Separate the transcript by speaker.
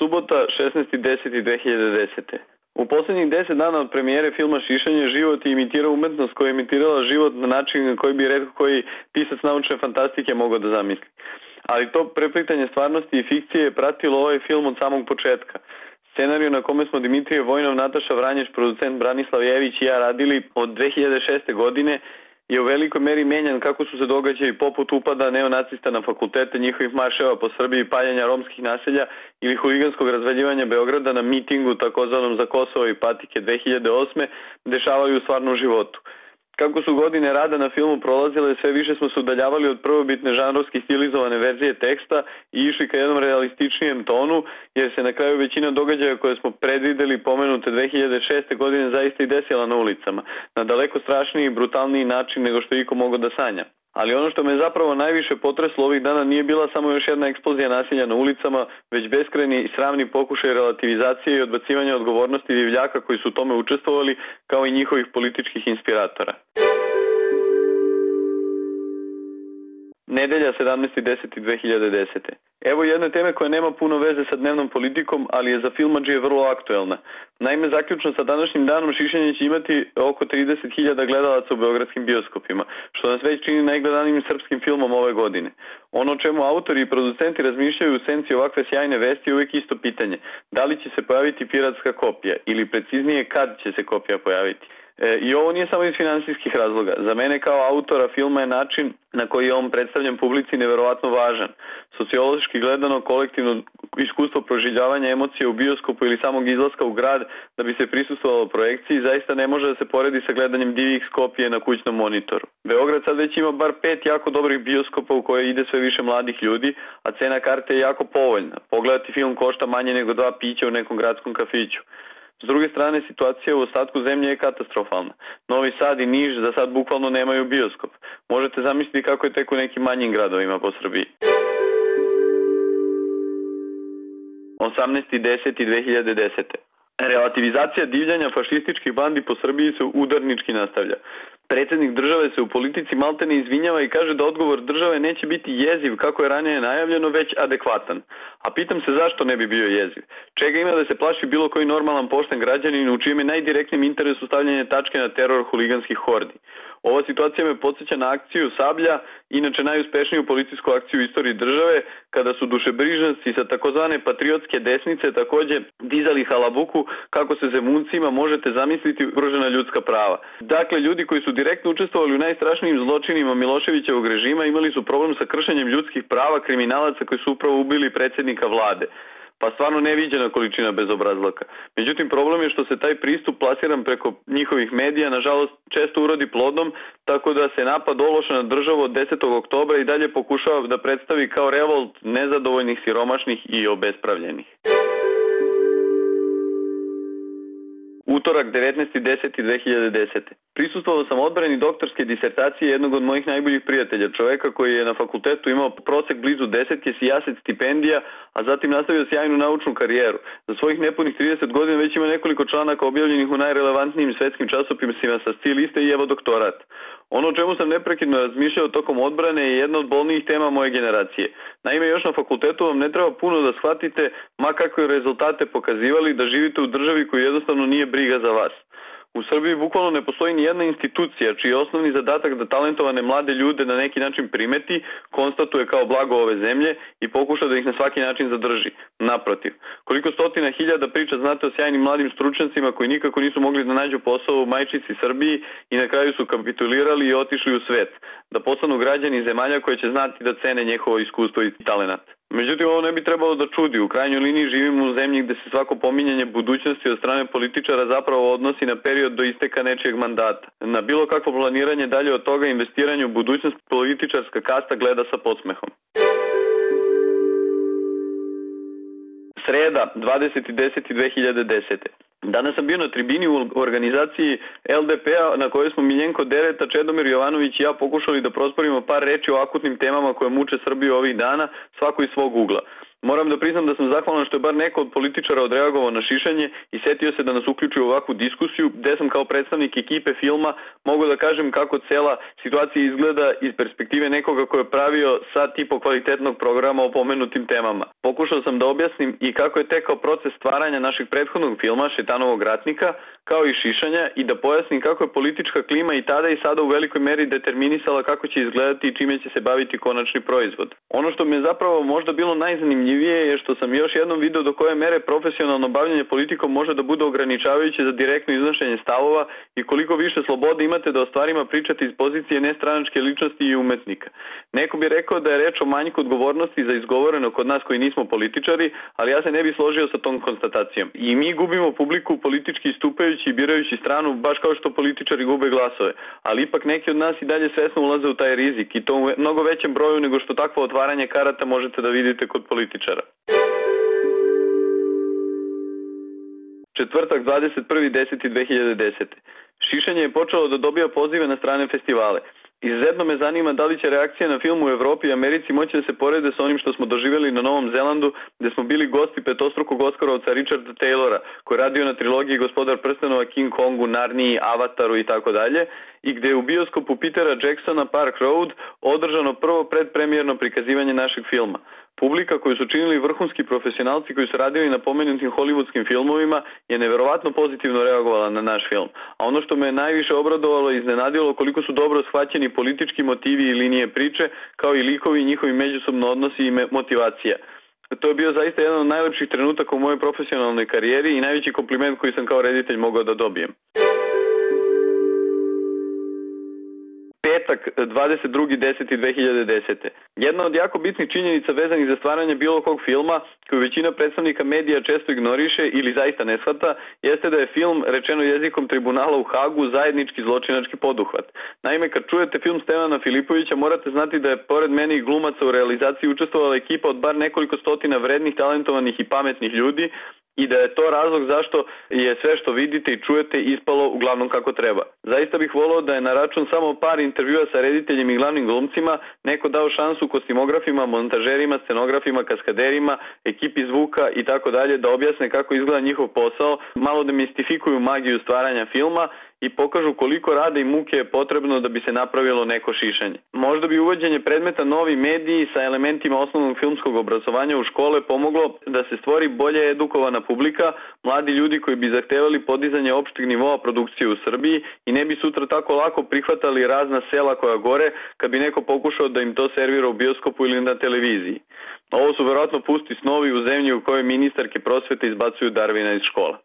Speaker 1: Subota 16.10.2010. U posljednjih 10 dana od premijere filma Šišanje život je imitirao umetnost koja je imitirala život na način koji bi retko koji pisac naučne fantastike mogao da zamisli. Ali to preplitanje stvarnosti i fikcije je pratilo ovaj film od samog početka. Scenariju na kome smo Dimitrije Vojnov, Nataša Vranješ, producent Branislav Jević i ja radili od 2006. godine je u velikoj meri menjan kako su se događaji poput upada neonacista na fakultete, njihovih marševa po Srbiji, paljenja romskih naselja ili huliganskog razvaljivanja Beograda na mitingu takozvanom za Kosovo i patike 2008. dešavaju u stvarnom životu. Kako su godine rada na filmu prolazile, sve više smo se udaljavali od prvobitne žanrovski stilizovane verzije teksta i išli ka jednom realističnijem tonu, jer se na kraju većina događaja koje smo predvideli pomenute 2006. godine zaista i desila na ulicama, na daleko strašniji i brutalniji način nego što iko mogao da sanja. Ali ono što me zapravo najviše potreslo ovih dana nije bila samo još jedna eksplozija nasilja na ulicama, već beskrajni i sramni pokušaj relativizacije i odbacivanja odgovornosti divljaka koji su u tome učestvovali, kao i njihovih političkih inspiratora. Nedelja 17.10.2010. Evo jedne teme koja nema puno veze sa dnevnom politikom, ali je za filmadžije vrlo aktuelna. Naime, zaključno sa današnjim danom Šišanje će imati oko 30.000 gledalaca u beogradskim bioskopima, što nas već čini najgledanijim srpskim filmom ove godine. Ono o čemu autori i producenti razmišljaju u senci ovakve sjajne vesti je uvijek isto pitanje. Da li će se pojaviti piratska kopija ili preciznije kad će se kopija pojaviti? I ovo nije samo iz finansijskih razloga. Za mene kao autora filma je način na koji je on predstavljen publici neverovatno važan. Sociološki gledano, kolektivno iskustvo proživljavanja emocija u bioskopu ili samog izlaska u grad da bi se prisustvovalo projekciji zaista ne može da se poredi sa gledanjem DivX kopije na kućnom monitoru. Beograd sad već ima bar 5 jako dobrih bioskopa u koje ide sve više mladih ljudi, a cena karte je jako povoljna. Pogledati film košta manje nego 2 pića u nekom gradskom kafiću. S druge strane, situacija u ostatku zemlje je katastrofalna. Novi Sad i Niš za sad bukvalno nemaju bioskop. Možete zamisliti kako je tek u nekim manjim gradovima po Srbiji. 18.10.2010. Relativizacija divljanja fašističkih bandi po Srbiji se udarnički nastavlja. Predsjednik države se u politici maltene izvinjava i kaže da odgovor države neće biti jeziv kako je ranije najavljeno, već adekvatan. A pitam se zašto ne bi bio jeziv? Čega ima da se plaši bilo koji normalan pošten građanin u čijem je najdirektnijem interesu stavljanje tačke na teror huliganskih hordi? Ova situacija me podsjeća na akciju Sablja, inače najuspešniju policijsku akciju u istoriji države, kada su dušebrižnici sa takozvane patriotske desnice takođe dizali halabuku kako se Zemuncima, možete zamisliti, ugrožena ljudska prava. Dakle, ljudi koji su direktno učestvovali u najstrašnijim zločinima Miloševićevog režima imali su problem sa kršenjem ljudskih prava kriminalaca koji su upravo ubili predsjednika vlade. Pa stvarno neviđena količina bezobrazlaka. Međutim, problem je što se taj pristup plasiran preko njihovih medija, nažalost, često urodi plodom, tako da se napad Ološa na državu od 10. oktobra i dalje pokušava da predstavi kao revolt nezadovoljnih, siromašnih i obespravljenih. Utorak 19.10.2010. Prisustvovao sam odbrani doktorske disertacije jednog od mojih najboljih prijatelja, čoveka koji je na fakultetu imao prosek blizu 10 sijaset stipendija, a zatim nastavio sjajnu naučnu karijeru. Za svojih nepunih 30 godina već ima nekoliko članaka objavljenih u najrelevantnijim svetskim časopisima sa stil liste i evo doktorat. Ono o čemu sam neprekidno razmišljao tokom odbrane je jedna od bolnijih tema moje generacije. Naime, još na fakultetu vam ne treba puno da shvatite, ma kakve rezultate pokazivali, da živite u državi koju jednostavno nije briga za vas. U Srbiji bukvalno ne postoji ni jedna institucija čiji je osnovni zadatak da talentovane mlade ljude na neki način primeti, konstatuje kao blago ove zemlje i pokuša da ih na svaki način zadrži. Naprotiv, koliko stotina hiljada priča znate o sjajnim mladim stručnjacima koji nikako nisu mogli da nađu posao u majčici Srbiji i na kraju su kapitulirali i otišli u svet, da postanu građani zemalja koje će znati da cene njihovo iskustvo i talenat. Međutim, ovo ne bi trebalo da čudi. U krajnjoj liniji živimo u zemlji gde se svako pominjanje budućnosti od strane političara zapravo odnosi na period do isteka nečijeg mandata. Na bilo kakvo planiranje dalje od toga investiranje u budućnost političarska kasta gleda sa podsmehom. Sreda, 20.10.2010. Danas sam bio na tribini u organizaciji LDP-a na kojoj smo Miljenko Dereta, Čedomir Jovanović i ja pokušali da prosporimo par reči o akutnim temama koje muče Srbiju ovih dana, svako iz svog ugla. Moram da priznam da sam zahvalan što je bar neko od političara odreagovao na šišanje i setio se da nas uključi u ovakvu diskusiju, gde sam kao predstavnik ekipe filma mogu da kažem kako cela situacija izgleda iz perspektive nekoga ko je pravio sad tipo kvalitetnog programa o pomenutim temama. Pokušao sam da objasnim i kako je tekao proces stvaranja našeg prethodnog filma Šetanovog ratnika, kao i šišanja, i da pojasnim kako je politička klima i tada i sada u velikoj meri determinisala kako će izgledati i čime će se baviti konačni proizvod. Ono što mi je zapravo možda bilo najzanimljivije je što sam još jednom video do koje mere profesionalno bavljanje politikom može da bude ograničavajuće za direktno iznošenje stavova i koliko više slobode imate da o stvarima pričate iz pozicije nestranačke ličnosti i umetnika. Neko bi rekao da je reč o manjku odgovornosti za izgovoreno kod nas koji nismo političari, ali ja se ne bih složio sa tom konstatacijom. I mi gubimo publiku politički istupajući i birajući stranu, baš kao što političari gube glasove, ali ipak neki od nas i dalje svesno ulaze u taj rizik i to u mnogo većem broju nego što takvo otvaranje karata možete da vidite kod političara. Četvrtak 21.10.2010. Šišanje je počelo da dobija pozive na strane festivale. Izuzetno me zanima da li će reakcije na film u Evropi i Americi moći da se porede sa onim što smo doživjeli na Novom Zelandu, gde smo bili gosti petostrukog Oskarovca Richarda Taylora, koji je radio na trilogiji Gospodar prstenova, King Kongu, Narniji, Avataru i tako dalje, i gde je u bioskopu Petera Jacksona Park Road održano prvo predpremijerno prikazivanje našeg filma. Publika koju su činili vrhunski profesionalci koji su radili na pomenutim hollywoodskim filmovima je neverovatno pozitivno reagovala na naš film. A ono što me najviše obradovalo i iznenadilo koliko su dobro shvaćeni politički motivi i linije priče, kao i likovi i njihovi međusobno odnosi i motivacija. To je bio zaista jedan od najlepših trenutaka u mojoj profesionalnoj karijeri i najveći kompliment koji sam kao reditelj mogao da dobijem. Petak, 22.10.2010. Jedna od jako bitnih činjenica vezanih za stvaranje bilo kog filma, koju većina predstavnika medija često ignoriše ili zaista ne shvata, jeste da je film, rečeno jezikom tribunala u Hagu, zajednički zločinački poduhvat. Naime, kad čujete film Stevana Filipovića, morate znati da je pored mene i glumaca u realizaciji učestvovala ekipa od bar nekoliko stotina vrednih, talentovanih i pametnih ljudi, i da je to razlog zašto je sve što vidite i čujete ispalo uglavnom kako treba. Zaista bih voleo da je na račun samo par intervjua sa rediteljem i glavnim glumcima neko dao šansu kostimografima, montažerima, scenografima, kaskaderima, ekipi zvuka i tako dalje da objasne kako izgleda njihov posao, malo demistifikuju magiju stvaranja filma i pokažu koliko rada i muke je potrebno da bi se napravilo neko šišanje. Možda bi uvođenje predmeta novi mediji sa elementima osnovnog filmskog obrazovanja u škole pomoglo da se stvori bolje edukovana publika, mladi ljudi koji bi zahtevali podizanje opšteg nivoa produkcije u Srbiji i ne bi sutra tako lako prihvatali razna sela koja gore kad bi neko pokušao da im to servira u bioskopu ili na televiziji. Ovo su verovatno pusti snovi u zemlji u kojoj ministarke prosvete izbacuju Darvina iz škola.